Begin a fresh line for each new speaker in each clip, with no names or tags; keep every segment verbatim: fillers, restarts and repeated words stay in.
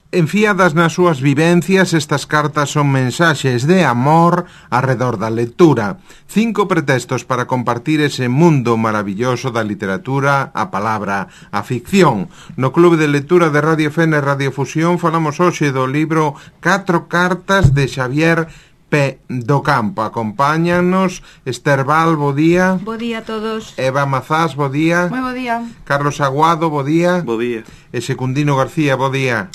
Enfiadas nas súas vivencias, estas cartas son mensaxes de amor arredor da lectura. Cinco pretextos para compartir ese mundo maravilloso da literatura, a palabra, a ficción. No Clube de Lectura de Radio Fene e Radio Fusión falamos hoxe do libro Catro cartas de Xavier P. do Campo. Acompáñanos Esther Val, bo día.
Bo día a todos.
Eva Mazás, bo día.
Moi bo día.
Carlos Aguado, bo día.
Bo día.
E Secundino García, bo día.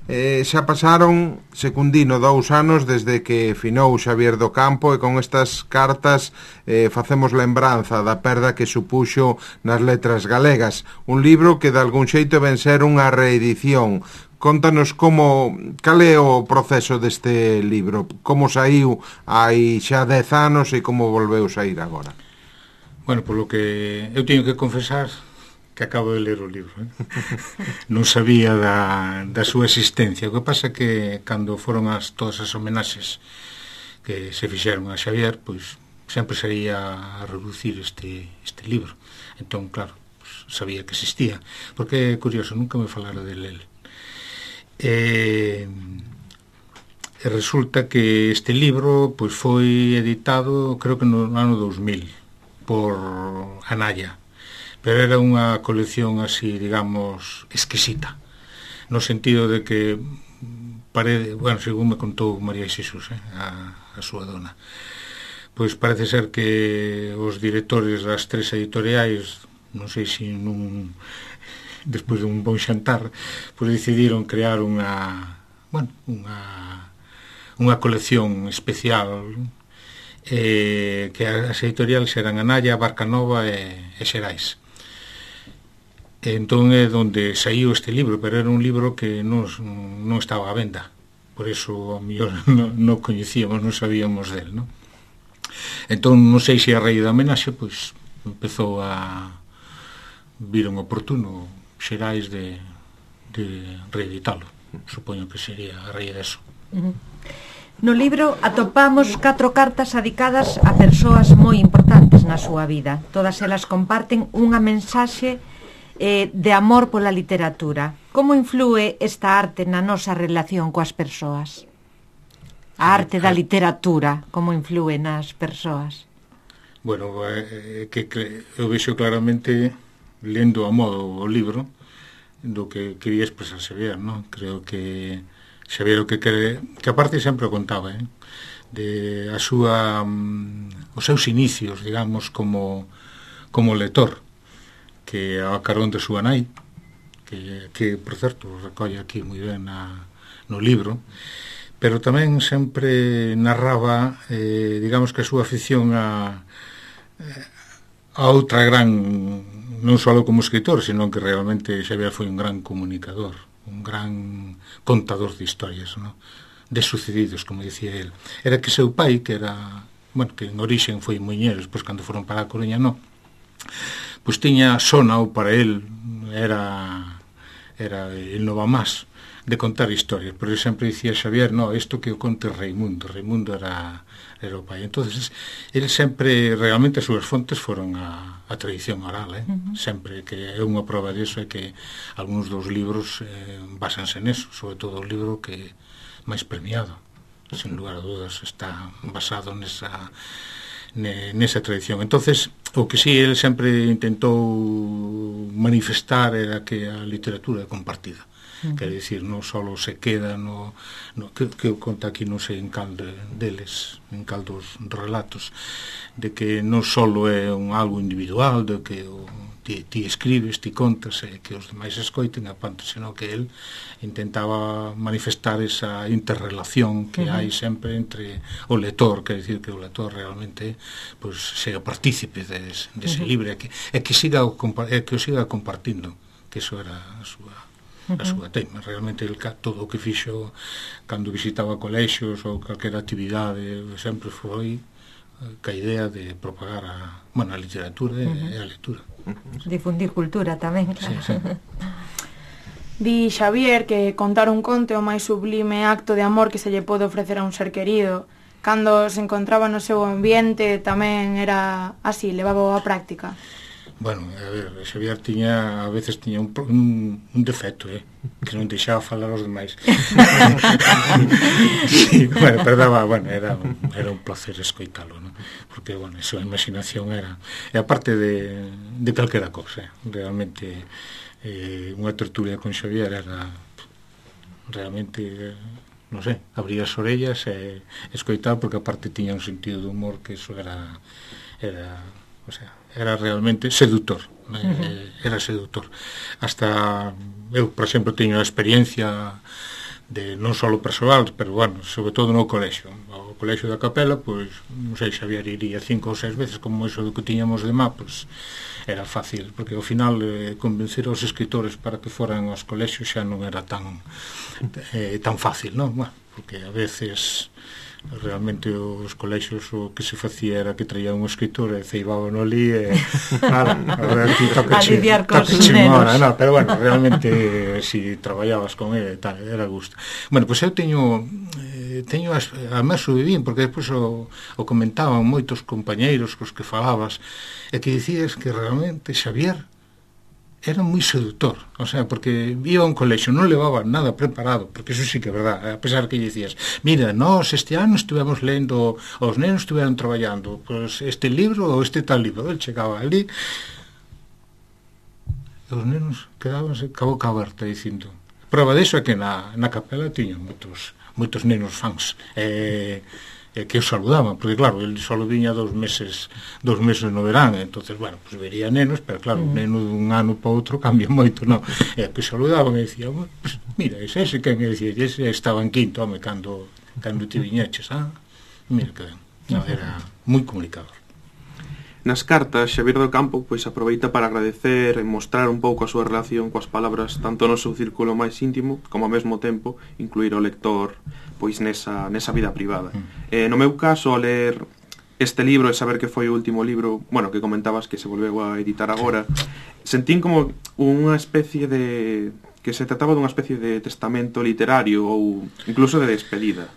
Eh, xa pasaron, Secundino, dous anos desde que finou Xavier do Campo, e con estas cartas eh, facemos lembranza da perda que supuxo nas letras galegas. Un libro que de algún xeito ven ser unha reedición. Contanos como, cal é o proceso deste libro, como saiu hai xa dez anos e como volveu sair agora.
Bueno, polo que eu teño que confesar que acabo de ler o libro, eh? Non sabía da, da súa existencia. O que pasa é que cando foron as, todas as homenaxes que se fixeron a Xavier, pois sempre sería a reducir este, este libro. Entón, claro, pues, sabía que existía, porque é curioso, nunca me falara del él. E, e resulta que este libro pois foi editado, creo que no ano dos mil, por Anaya. Pero era unha colección así, digamos, exquisita, no sentido de que parece, bueno, según me contou María Xesús, eh, a, a súa dona, pois parece ser que os directores das tres editoriais, non sei se nun, despois de un bon xantar, pois decidiron crear unha, bueno, unha unha colección especial, eh, que as editoriales eran Anaya, Barcanova e, e Xerais. Entón é onde saiu este libro, pero era un libro que non, non estaba á venda, por eso a mellor non, non coñecíamos, non sabíamos del, non? Entón non sei se a raíz da homenaxe pois empezou a vir un oportuno Xerais de, de reeditalo. Supoño que sería a raíz deso.
Uh-huh. No libro atopamos catro cartas adicadas a persoas moi importantes na súa vida. Todas elas comparten unha mensaxe Eh, de amor pola literatura. Como influe esta arte na nosa relación coas persoas? A arte da literatura, como influe nas persoas?
Bueno, eh, que, que eu vexo claramente, lendo a modo o libro, do que quería expresar Xavier, non? Creo que Xavier o que quere, que aparte sempre o contaba, eh? De a súa, um, os seus inicios, digamos, como, como lector, que a carón de súa nai, que, que por certo, recolle aquí moi ben na, no libro, pero tamén sempre narraba, eh, digamos que a súa afición a, a outra gran, non só como escritor, sino que realmente Xavier foi un gran comunicador, un gran contador de historias, ¿no? De sucedidos, como dicía él. Era que seu pai, que era, bueno, que en orixen foi muiñeiro, despois cando foron para a Coruña, non, pois tiña sonao para el, era era el no va más de contar historias, pero sempre dicía Xavier, no, isto que o conte Reimundo, Reimundo era, era o pai. Entonces, ele sempre, realmente as súas fontes foron a, a tradición oral, eh? Uh-huh. Sempre, que é unha prova disso, é que algúns dos libros eh, basanse neso, sobre todo o libro que máis premiado, sin lugar a dudas, está basado nesa nesa tradición. Entonces, o que sí, ele sempre intentou manifestar era que a literatura é compartida. Uh-huh. Quer dicir, non só se queda no, no que, que conta aquí, non sei en cal de, deles, en cal dos relatos, de que non só é un algo individual, de que o, ti, ti escribes, ti contas, e que os demais escoiten a panto, senón que el intentaba manifestar esa interrelación que uh-huh. hai sempre entre o lector, quer dicir que o lector realmente pues, sea partícipe dese de uh-huh. libro, e que, e que, siga o, e que o siga compartindo, que iso era a súa a súa tema. Realmente el, todo o que fixo cando visitaba colexios ou calquera actividade sempre foi ca idea de propagar a, bueno, a literatura e uh-huh. a lectura.
Uh-huh. Difundir cultura tamén, claro. Sí, sí.
Di Xavier que contar un conto é o máis sublime acto de amor que se lle pode ofrecer a un ser querido. Cando se encontraba no seu ambiente tamén era así, levaba a práctica.
Bueno, a ver, Xavier tiña, a veces tiña un, un, un defecto, eh, que non deixaba falar aos demais. Sí, bueno, perdaba, bueno, era un, era un placer escoitalo, ¿no? Porque, bueno, a súa imaginación era, e aparte de, de calquera cosa, eh, realmente, eh, unha tertulia con Xavier era realmente, eh, non sei, abrir as orellas e escoitar, porque aparte tiña un sentido de humor que eso era, era, o sea, era realmente seductor, eh, uh-huh. era seductor. Hasta eu, por exemplo, teño a experiencia de non só persoal, pero, bueno, sobre todo no colexio. O colexio da Capela, pois, non sei, Xavier iría cinco ou seis veces, como eso do que tiñamos de má, pois, era fácil, porque ao final eh, convencer aos escritores para que foran aos colexios xa non era tan eh, tan fácil, non? Bueno, porque a veces realmente os colexios o que se facía era que traía un escritor e ceibaban ali e nada, a ti tocache ahora, no, pero bueno, realmente si traballabas con ele tal, era gusto. Bueno, pois pues eu teño eh, teño as, además subín, porque despois o, o comentaban moitos compañeiros cos que falabas e que dicías que realmente Xavier era moi seductor, o sea, porque iba a un colexio, non levaba nada preparado, porque eso sí que é verdad, a pesar que dicías, mira, nós este ano estivemos lendo, os nenos estiveron traballando, pues este libro ou este tal libro, ele chegaba ali, e os nenos quedábanse ca boca aberta dicindo, prova disso é que na, na Capela tiñan moitos, moitos nenos fans, e... e que os saludaban, porque claro, ele só viña dos meses dos meses no verán, entonces, bueno, pues vería nenos, pero claro, un neno dun ano para outro cambia moito, non? E que saludaban e dicía, pues, mira, ese, ese que me dicía, ese estaba en quinto, home, cando, cando te viñeches, ah? Mira que ben, no, era moi comunicador.
Nas cartas, Xavier do Campo pois aproveita para agradecer e mostrar un pouco a súa relación coas palabras tanto no seu círculo máis íntimo como ao mesmo tempo incluir o lector pois nesa, nesa vida privada. Mm. Eh, no meu caso, ao ler este libro e saber que foi o último libro, bueno, que comentabas que se volveu a editar agora, sentín como unha especie de... que se trataba dunha especie de testamento literario ou incluso de despedida.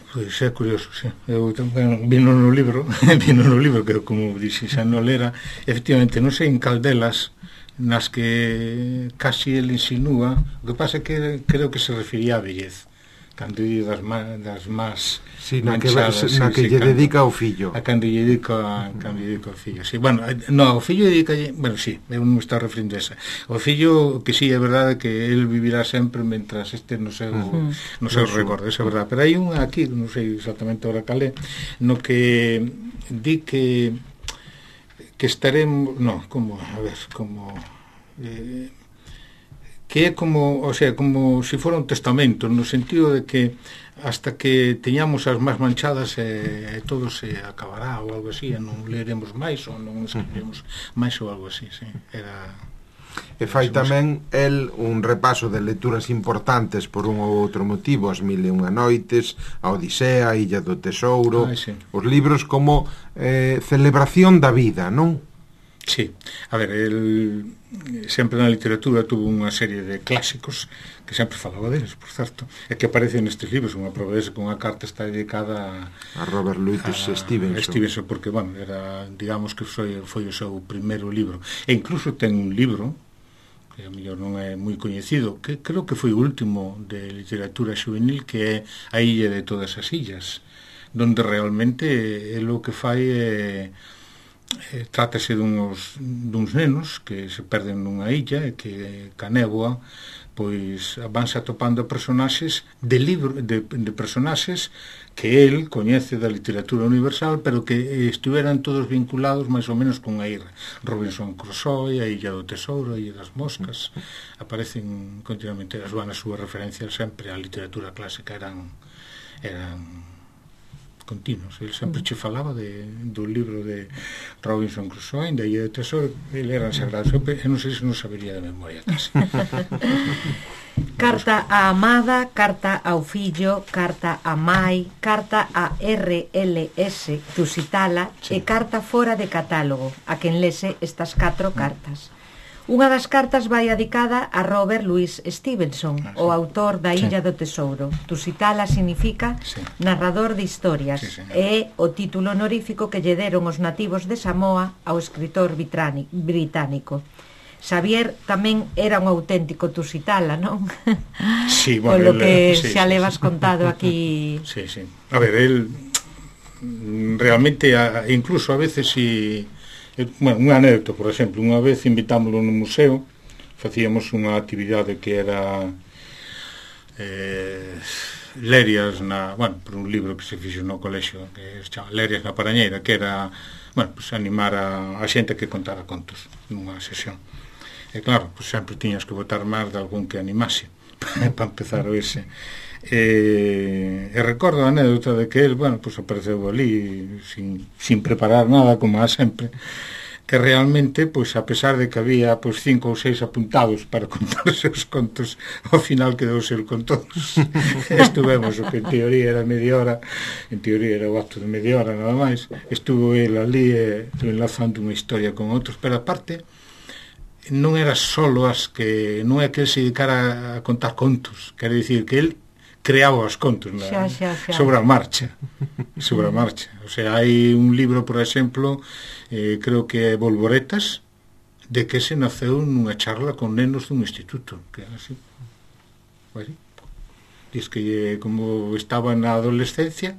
Pois é curioso, sí. Eu bueno, vino no libro, vino no libro que como dixi xa non lera, efectivamente, non sei en caldelas nas que casi ele insinúa, o que pasa é que creo que se refería á vellez, cando lle das, das más
sí, na que, na sí, que sí, lle cando, dedica ao fillo,
a cando lle dedica cando lle dedica ao fillo, sí, bueno, no, o fillo dedica, bueno, sí, eu non me está referindo a esa, o fillo que sí, é verdade que el vivirá sempre mentras este no seu, uh-huh. no seu recordo, é verdade, pero hai un aquí, non sei exactamente ahora calé, no que di que que estaremos, no, como, a ver, como eh, que é como, o sea, como se si fora un testamento, no sentido de que hasta que teñamos as máis manchadas e eh, todo se acabará ou algo así, e non leremos máis ou non escribiremos máis ou algo así, sí. Era...
E fai tamén el un repaso de lecturas importantes por un ou outro motivo, as Mil e unha noites, a Odisea, a Illa do Tesouro, ah, sí. Os libros como eh, celebración da vida, non?
Sí, a ver, el sempre na literatura tuvo unha serie de clásicos que sempre falaba deles, por certo, e que aparecen nestes libros, unha prova dese que unha carta está dedicada
a, a Robert Louis Stevenson.
Stevenson, porque, bueno, era, digamos que foi, foi o seu primeiro libro, e incluso ten un libro que a mellor non é moi coñecido, que creo que foi o último de literatura juvenil, que é A Illa de Todas as Illas, donde realmente é o que fai é Eh, trátase duns, duns nenos que se perden nunha illa e que ca néboa pois vanse atopando personaxes de libro de, de personaxes que el coñece da literatura universal, pero que estiveran todos vinculados máis ou menos con a illa. Robinson Crusoe, a Illa do Tesouro, a Illa das Moscas, aparecen continuamente, as súas súas referencias sempre á literatura clásica eran eran continuos. Ele sempre che falaba de, do libro de Robinson Crusoe, da Illa do Tesouro, ele eran sagrados. Eu non sei se non sabería de memoria casi.
Carta á amada, carta ao fillo, carta a mai, carta a R L S Tusitala, sí. E carta fora de catálogo, a quen lese estas catro cartas. Unha das cartas vai dedicada a Robert Louis Stevenson, ah, sí. o autor da Illa sí. do Tesouro. Tusitala significa sí. narrador de historias, sí, e é o título honorífico que lle deron os nativos de Samoa ao escritor británico. Xavier tamén era un auténtico tusitala, non?
Sí, bueno,
con lo que
sí,
xa
sí,
levas
sí.
contado aquí.
Sí, sí. A ver, él realmente, incluso a veces, si... Bueno, unha anécdota, por exemplo, unha vez invitámoslo no museo, facíamos unha actividade que era eh, Lerias na, bueno, por un libro que se fixo no colexio que se chama Lerias na Parañeira, que era, bueno, pues animar a, a xente que contara contos nunha sesión. E claro, pues sempre tiñas que botar máis de algún que animase para empezar o ese. E, e recordo a anécdota de que el, bueno, pues apareceu ali sin, sin preparar nada, como a sempre, que realmente, pues a pesar de que había pues cinco ou seis apuntados para contar os seus contos, ao final quedou ser con todos. Estuvemos, o que en teoría era media hora, en teoría era o acto de media hora nada máis, estuvo el ali eh, enlazando unha historia con outros, pero aparte non era solo as que, non é que el se dedicara a contar contos, quere dicir que el creaba os contos na, xa, xa, xa. sobre a marcha sobre a marcha, o sea, hai un libro, por exemplo, eh, creo que é Volvoretas, de que se naceu nunha charla con nenos dun instituto, que era así, pues, diz que como estaba na adolescencia,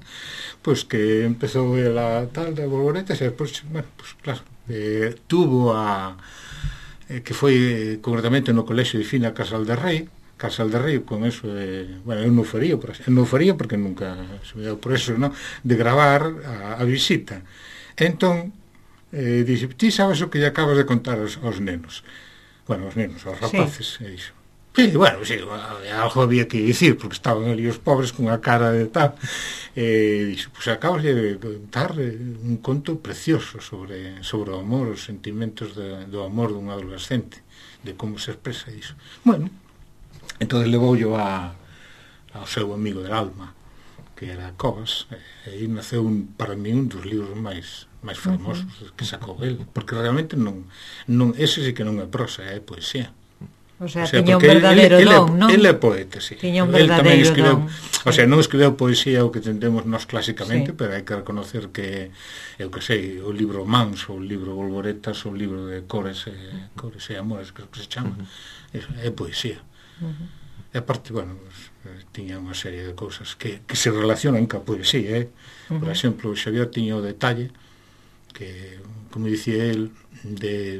pues que empezou a tal de Volvoretas e despois, bueno, pues claro, eh, tuvo a eh, que foi concretamente no colexio de Fina Casal de Rei, Casal de Río, con eso de... Bueno, eu non faría, por eu non faría porque nunca se me deu por eso, non? De gravar a, a visita. Entón, eh, dixe, ti sabes o que lle acabas de contar aos, aos nenos? Bueno, aos nenos, aos rapaces, sí. E dixo, sí, bueno, sí, algo había que dicir, porque estaban ali os pobres con a cara de tal. E dixo, pois pues, acabas de contar un conto precioso sobre, sobre o amor, os sentimentos de, do amor dun adolescente, de como se expresa iso. Bueno, entón levou yo a, ao seu amigo del alma, que era Covas, e aí naceu un, para mí un dos libros máis máis fermosos uh-huh. que sacou el, porque realmente non, non ese sí que non é prosa, é poesía.
O sea, o sea tiña un verdadeiro
el,
don, non?
Ele é poeta, sí.
Tiña un verdadeiro
escribeu,
don.
O sea, non escribeu poesía o que tendemos nós clásicamente,
sí.
pero hai que reconocer que, eu que sei, o libro Mans, o libro Volvoretas, o libro de Cores e, Cores e Amores, creo que se chama, uh-huh. é, é poesía. Uh-huh. E aparte, bueno, pues, tiña unha serie de cousas que, que se relacionan ca poesía, eh? Uh-huh. Por exemplo, Xavier tiña o detalle que, como dicía el, de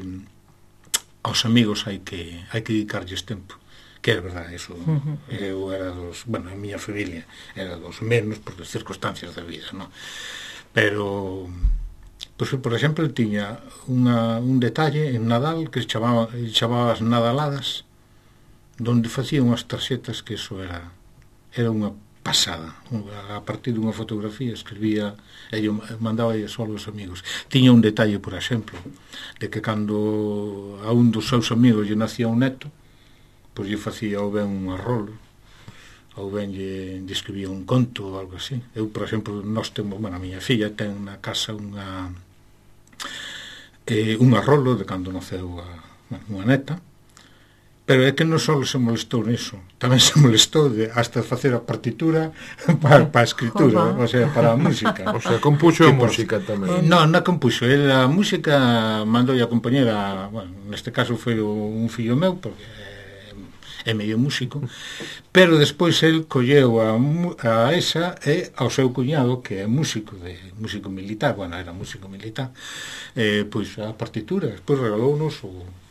aos amigos hai que hai que dedicarlles tempo, que é verdade, eso. Uh-huh. Eu era dos, bueno, a miña familia era dos menos por as circunstancias da vida, non? Pero, pues, por exemplo, tiña unha, un detalle en Nadal que se chamaba, chamaba as Nadaladas, donde facía unhas tarxetas que eso era era unha pasada. A partir dunha fotografía escribía e eu mandaba aí só aos amigos. Tiña un detalle, por exemplo, de que cando a un dos seus amigos lle nacía un neto, pois lle facía ou ben un arrolo, ou ben lle, lle escribía un conto ou algo así. Eu, por exemplo, nós temos, bueno, a miña filla ten na casa unha eh, un arrolo de cando naceu a, bueno, unha neta. Pero é que non só se molestou niso, tamén se molestou de hasta facer a partitura para, para a escritura, o sea, para a música.
O sea, compuxo a música tamén.
Non, non compuxo, el a música mandou a compañera, bueno, neste caso foi un fillo meu, porque é medio músico, pero despois el colleu a, a esa e ao seu cuñado, que é músico, de músico militar, bueno, era músico militar, eh, pois a partitura, despois regalounos o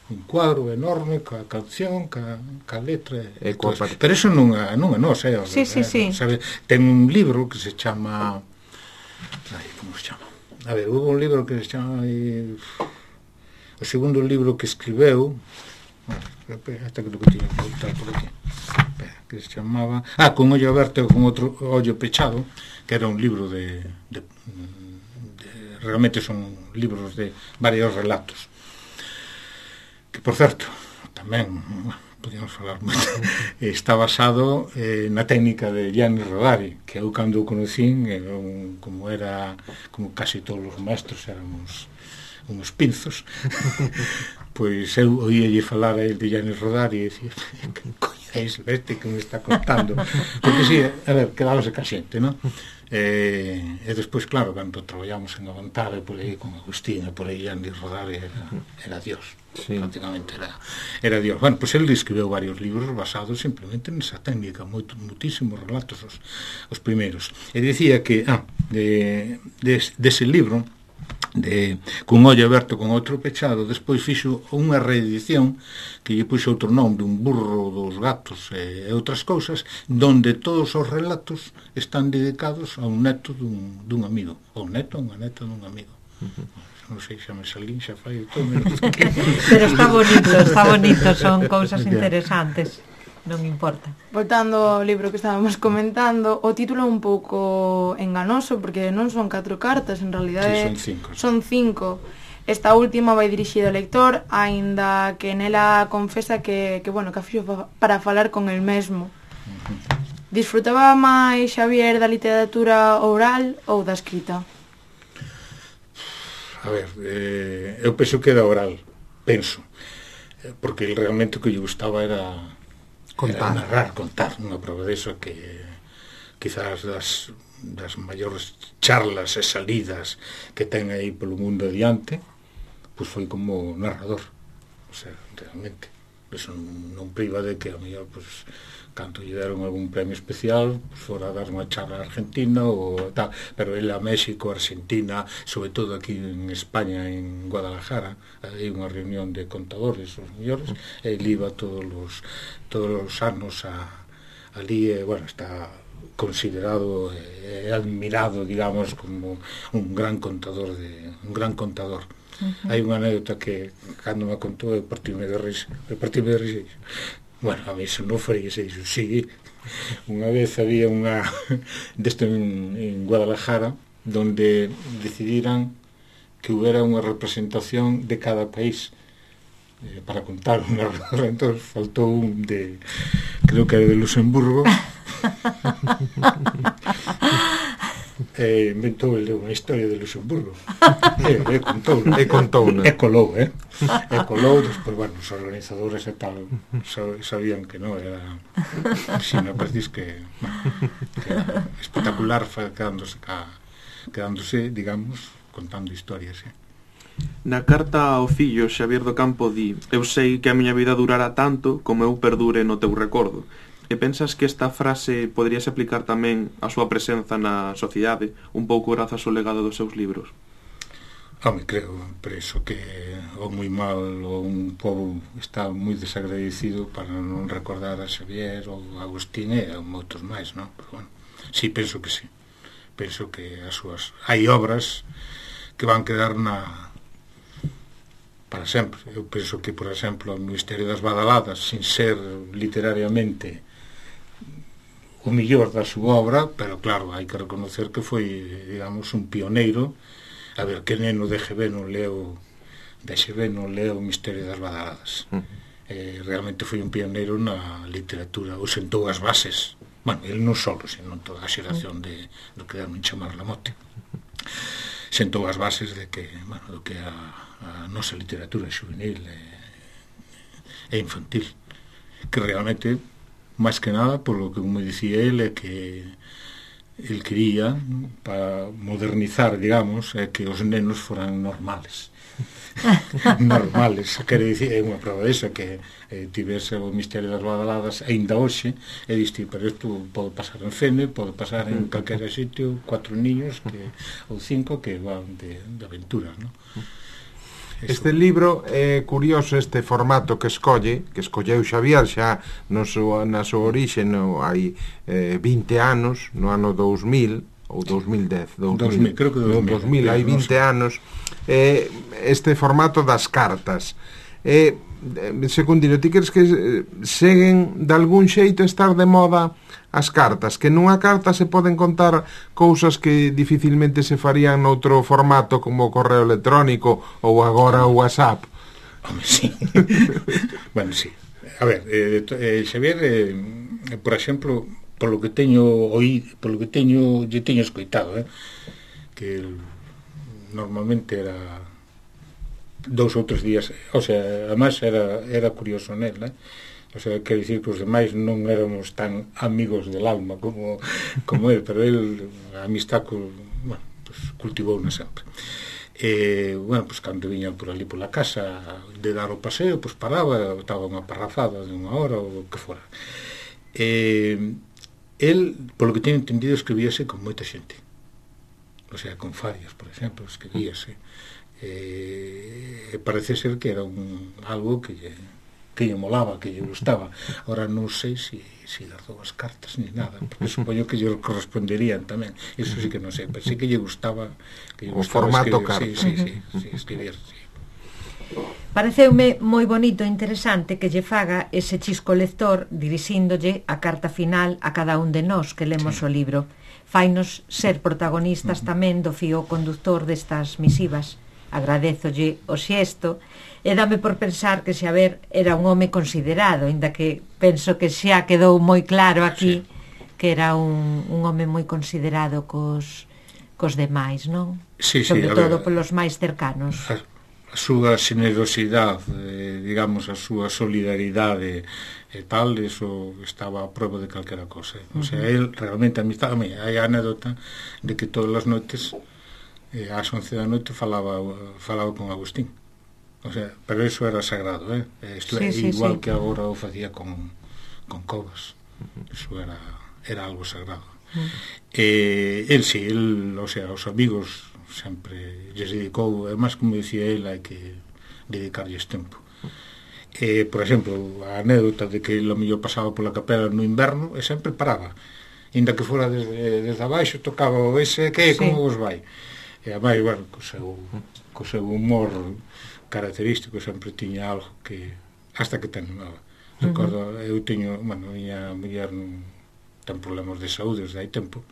un cuadro enorme ca canción, ca, ca letra e
coa
pero eso non é, non é nos, é,
sí, sí, sí.
Sabe, ten un libro que se chama ai, como se chama? A ver, hubo un libro que se chama ai, o segundo libro que escribeu hasta que lo que tiña que voltar por aquí que se chamaba ah, con ollo aberto e con outro ollo pechado, que era un libro de, de, de realmente son libros de varios relatos, que, por certo, tamén podíamos falar moito, está basado eh, na técnica de Gianni Rodari, que eu cando o conocín, eh, un, como era como casi todos os maestros éramos uns pinzos, pois eu oíalle falar a el de Llanes Rodari e dicía, que coño é iso este que me está contando? Porque si, a ver, quedábase ca xente, non? E, e despois, claro, cando traballamos en Avantare por aí con Agustín e por aí Llanes Rodari era, era Dios, sí. Prácticamente era, era Dios. Bueno, pois pues, ele escribeu varios libros basados simplemente nesa técnica, moito, muitísimos relatos os, os primeiros. E dicía que, ah, de, de, dese libro de cun ollo aberto con outro pechado, despois fixo unha reedición que lle puxo outro nome, un burro dos gatos e outras cousas, donde todos os relatos están dedicados a un neto dun, dun amigo, ou neto ou unha neta dun amigo. Uh-huh. Non sei, xa me salín, xa fai todo menos que...
Pero está bonito, está bonito, son cousas interesantes. Non importa.
Voltando ao libro que estábamos comentando, o título é un pouco enganoso porque non son catro cartas, en realidade
sí, son cinco.
Son cinco. Esta última vai dirixida ao lector, aínda que nela confesa que, que bueno, que a fixo para falar con el mesmo. Uh-huh. Disfrutaba máis Xavier da literatura oral ou da escrita?
A ver, eh, eu penso que da oral, penso, porque realmente o que lle gustaba era contar, era narrar, contar. Unha prova deso que quizás das, das maiores charlas e salidas que ten aí polo mundo adiante, pois foi como narrador. O sea, realmente eso non, non priva de que a mellor pois, canto lle deron algún premio especial, pois fora a dar unha charla a Argentina ou tal, pero ele a México, Argentina, sobre todo aquí en España, en Guadalajara, hai unha reunión de contadores, os mellores, e ele iba todos os todos os anos a, ali, e, bueno, está considerado e admirado, digamos, como un gran contador de un gran contador. Uh-huh. Hai unha anécdota que cando me contou eu partime de risa, eu partime de risa. Bueno, a mí eso non faría eso, sí. Unha vez había unha desto en, en Guadalajara donde decidiran que hubiera unha representación de cada país eh, para contar unha narradora. Entón faltou un de, creo que era de Luxemburgo. E inventou ele unha historia de Luxemburgo e, e contou
e contou
e colou, eh? e colou, despois, bueno, os organizadores e tal sabían que non era si me parecís que, bueno, que era espectacular quedándose ca, quedándose, digamos, contando historias, eh?
Na carta ao fillo, Xavier do Campo di: eu sei que a miña vida durará tanto como eu perdure no teu recordo. E pensas que esta frase poderíase aplicar tamén á súa presenza na sociedade, un pouco grazas ao legado dos seus libros?
Home, creo, preso que o moi mal ou un pobo está moi desagradecido para non recordar a Xavier ou a Agustín e a moitos máis, non? Pero, bueno, sí, penso que sí. Penso que as súas... Hai obras que van quedar na... para sempre. Eu penso que, por exemplo, o Misterio das Badaladas, sin ser literariamente o millor da súa obra, pero claro, hai que reconocer que foi, digamos, un pioneiro. A ver, que neno de G B non leo de G B non leo o Misterio das Badaladas. Uh-huh. Eh, realmente foi un pioneiro na literatura, ou sentou as bases, bueno, ele non solo, senón toda a xeración de, do que deron chamar la mote. Sentou as bases de que, bueno, do que a, a nosa literatura juvenil e, e infantil, que realmente, máis que nada, por lo que me dicía ele, é que el quería para modernizar, digamos, é que os nenos foran normales. Normales, quere dicir, é unha prova desa que eh, tivese o Misterio das Badaladas aínda hoxe, e diste, pero isto pode pasar en Fene, pode pasar en calquera sitio, cuatro niños que, ou cinco que van de, de aventuras, non?
Este libro é curioso, este formato que escolle, que escolleu Xavier xa no súa, na súa orixe no, hai eh, vinte anos, no ano dous mil ou dous mil dez, dous mil,
creo que dous mil,
dous mil, hai vinte anos, eh, este formato das cartas. Eh, Secundino, ti crees que seguen de algún xeito estar de moda as cartas, que nunha carta se poden contar cousas que dificilmente se farían noutro formato como o correo electrónico ou agora o WhatsApp?
Home, sí. Bueno, sí. A ver, eh, eh, Xavier, eh, por exemplo, polo que teño oí, polo que teño, lle teño escoitado, eh, que normalmente era dous ou tres días, o sea, además era, era curioso nel, eh? O sea, quero dicir que os demais non éramos tan amigos del alma como, como él, pero él, a amistad, bueno, pues, cultivou-na sempre. E, bueno, pues, cando viñan por ali pola casa de dar o paseo, pues paraba, estaba unha parrafada de unha hora ou o que fora. E, él, polo que teño entendido, escribíase con moita xente. O sea, con Farias, por exemplo, escribíase. E, parece ser que era un, algo que lle, que lle molaba, que lle gustaba. Ahora non sei se si, si guardou as cartas ni nada, porque supoño que lle corresponderían tamén. Eso sí que non sei, pero sí que lle gustaba que lle
o
gustaba
formato
escribir,
carta.
sí, sí, sí, sí, escribir, sí.
Pareceume moi bonito e interesante que lle faga ese chisco lector dirixíndolle a carta final a cada un de nós que lemos
Sí.
o libro. Fainos ser protagonistas uh-huh. tamén do fío conductor destas misivas. Agradezolle o xesto e dame por pensar que Xavier era un home considerado, inda que penso que xa quedou moi claro aquí sí. que era un, un home moi considerado cos, cos demais, non?
Sí, sí,
sobre todo
ver,
polos máis cercanos.
A, a súa generosidade, eh, digamos, a súa solidaridade e tal, eso estaba a prova de calquera cosa. O sea, él realmente amistad, a mí, hai a anécdota de que todas as noites eh, ás once da noite falaba falaba con Agustín. O sea, pero eso era sagrado, eh? Isto
sí,
é
sí,
igual
sí.
que agora o facía con, con Covas. Eso era, era algo sagrado. Uh-huh. Eh, el sí, el, o sea, os amigos sempre lles dedicou, además, como dicía el, hai que dedicarlles tempo. Eh, por exemplo, a anécdota de que lo mellor pasaba pola capela no inverno e sempre paraba. Inda que fora desde, desde abaixo, tocaba o ese, que sí. Como vos vai? E además, bueno, co seu, co seu humor característico sempre tiña algo que hasta que te animaba. Recordo, uh-huh. eu teño, bueno, miña muller non ten problemas de saúde desde hai tempo.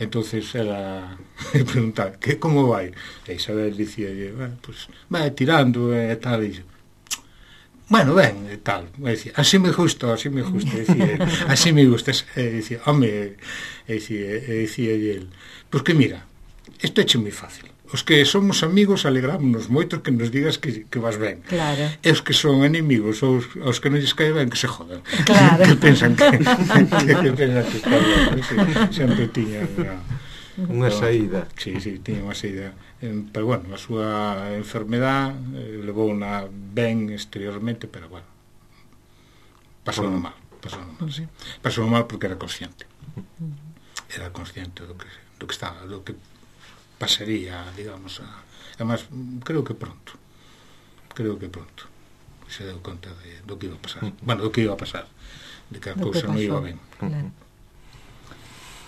Entonces era preguntar, que como vai? E Isabel dicía, bueno, pues vai tirando e tal, e dixo, bueno, ben, e tal, e dicía, así me gusta, así me gusta, dicía, así me gusta, e dicía, home, e dicía, e dicía el, pues que mira, isto é moi fácil. Os que somos amigos alegrámonos moito que nos digas que, que vas ben.
Claro.
E os que son inimigos, os, os que non lles cae ben, que se jodan.
Claro.
Que pensan que, que, que pensan que está ben. Sí, sempre tiña unha,
unha saída.
Sí, sí, tiña unha saída. Pero bueno, a súa enfermedad eh, levou unha ben exteriormente, pero bueno, pasou no mal. Pasou no mal, sí. Pasou no mal porque era consciente. Era consciente do que, do que estaba, do que pasaría, digamos, a... además, creo que pronto creo que pronto se deu conta de, do que iba a pasar, bueno, do que iba a pasar, de que a cousa non iba ben.
Claro.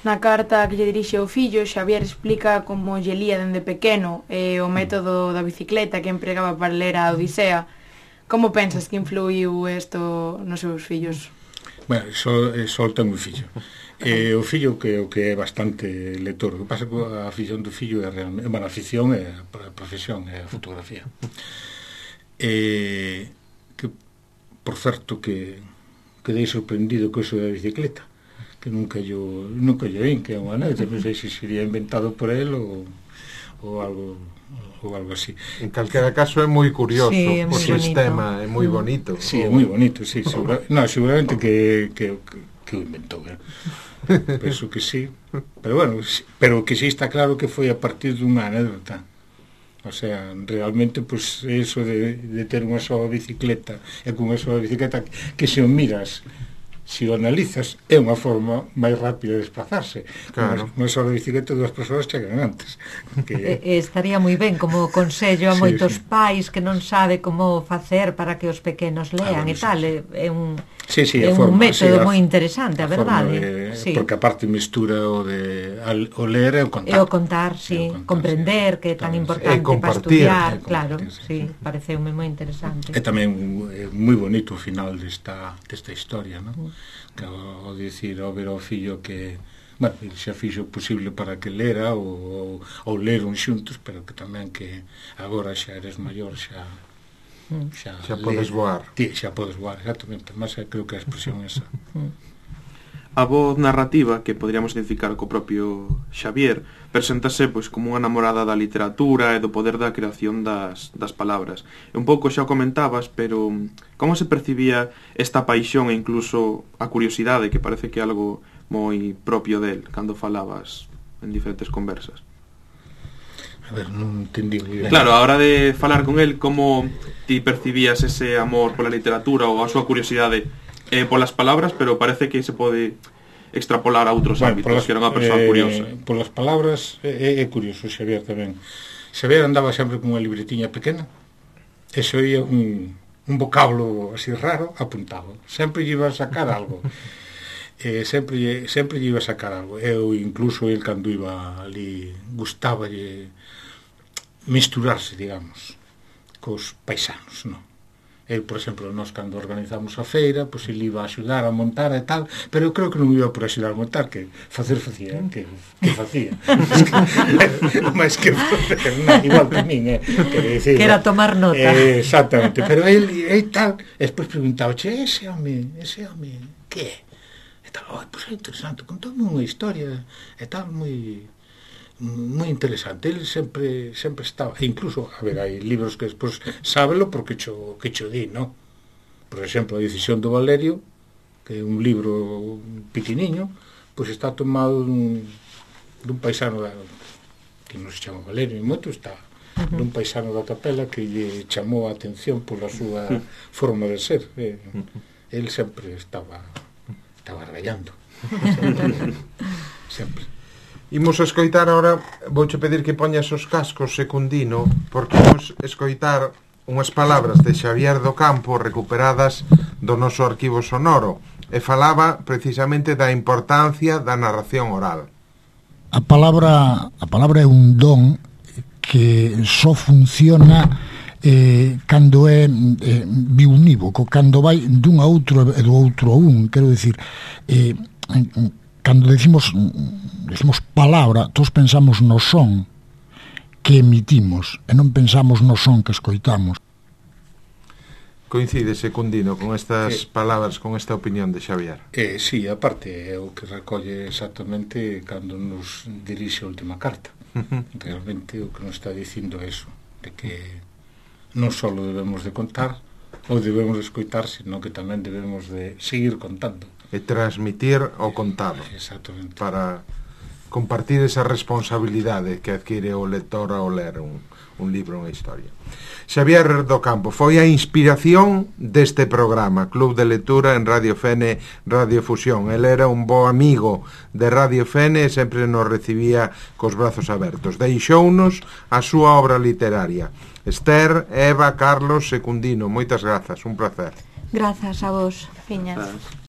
Na carta que lle dirixe ao fillo, Xavier explica como lle lía dende pequeno e o método da bicicleta que empregaba para ler a Odisea. Como pensas que influiu isto nos seus fillos?
Bueno, só, só ten un fillo. E o fillo que o que é bastante lector. O que pasa que a afición do fillo é realmente, bueno, a afición é a profesión, é a fotografía. E que, por certo, que quedei sorprendido co iso da bicicleta, que nunca yo nunca yo vin, que é unha anécdota, non sei se sería inventado por él ou, ou algo ou algo así.
En calquera caso é moi curioso,
sí, é
o sistema é moi bonito.
Sí, é moi bonito, sí, segura, no, seguramente que, que, que o inventou, eh? Penso que sí, pero bueno, pero que sí está claro que foi a partir dunha anécdota. O sea, realmente, pues, eso de, de ter unha soa bicicleta e con unha soa bicicleta que se o miras, se o analizas, é unha forma máis rápida de desplazarse.
Claro.
Unha soa bicicleta, dúas persoas chegan antes. Que...
E, estaría moi ben como consello a
sí,
moitos
sí.
pais que non sabe como facer para que os pequenos lean ah, bueno, e tal, sí, sí. é un
sí, sí,
é un
forma,
método
sí,
moi interesante, a, a verdade.
De,
sí.
Porque aparte mistura o de al, o ler e o contar.
E o contar, sí, o contar, comprender, sí, que é tan importante
sí.
para estudiar, claro,
sí,
sí, pareceume moi interesante.
E tamén é moi bonito o final desta, desta historia, non? Mm. Que ao dicir, ao ver ao fillo que, bueno, xa fixo o posible para que lera ou, ou, ou leron xuntos, pero que tamén que agora xa eres maior, xa
xa, xa podes voar.
Tí, xa podes voar, exactamente, mas creo que a expresión esa.
A voz narrativa, que poderíamos identificar co propio Xavier, preséntase pois como unha namorada da literatura e do poder da creación das, das palabras. E un pouco xa o comentabas, pero como se percibía esta paixón e incluso a curiosidade, que parece que é algo moi propio del, cando falabas en diferentes conversas?
A ver, non entendí moi ben.
Claro, a hora de falar con el, como ti percibías ese amor pola literatura ou a súa curiosidade eh, polas palabras, pero parece que se pode extrapolar a outros bueno, ámbitos, polas, que era unha persoa
eh,
curiosa.
Polas palabras é, é curioso, Xavier tamén. Xavier andaba sempre con unha libretiña pequena e se oía un, un vocablo así raro apuntado. Sempre lle iba a sacar algo. Eh, sempre, sempre lle iba a sacar algo. Eu, incluso, el cando iba ali, gustáballe misturarse, digamos, cos paisanos, non? El, por exemplo, nós cando organizamos a feira, pois ele iba a axudar a montar e tal, pero eu creo que non iba por axudar a montar, que facer facía, que, que facía. Mas que facer, non, igual que min, eh, que, decir,
que era tomar nota.
Eh, exactamente, pero el e tal, e despois preguntaba, che, ese home, ese home, que é? E tal, oh, pois é interesante, contoume unha historia, e tal, moi... moi interesante. Ele sempre sempre estaba, e incluso, a ver, hai libros que despois sábelo porque cho, que cho di, non? Por exemplo, A decisión do Valerio, que é un libro pequeniño, pois está tomado dun, dun paisano da, que non se chama Valerio, e moito está uh-huh. dun paisano da Capela que lle chamou a atención pola súa uh-huh. forma de ser. E, uh-huh. El sempre estaba estaba rayando. sempre. sempre.
Imos a escoitar ahora, vouche pedir que poñas os cascos, Secundino, porque imos escoitar unhas palabras de Xavier do Campo recuperadas do noso arquivo sonoro, e falaba precisamente da importancia da narración oral.
A palabra, a palabra é un don que só funciona eh, cando é eh, biunívoco, cando vai dun a outro e do outro a un, quero dicir, eh, cando decimos decimos palabra, todos pensamos no son que emitimos e non pensamos no son que escoitamos.
Coincide, Secundino, con estas eh, palabras, con esta opinión de Xavier?
Eh, sí, aparte é o que recolle exactamente cando nos dirixe a última carta. Uh-huh. Realmente o que nos está dicindo é eso, de que non só debemos de contar ou debemos de escoitar, sino que tamén debemos de seguir contando.
E transmitir o contado.
Exactamente.
Para compartir esa responsabilidade que adquire o lector ao ler un, un libro, unha historia. Xavier do Campo foi a inspiración deste programa, Club de Lectura en Radio Fene, Radio Fusión. El era un bo amigo de Radio Fene e sempre nos recibía cos brazos abertos. Deixounos a súa obra literaria. Esther, Eva, Carlos, Secundino, moitas grazas, un placer.
Grazas a vos, Fiñas.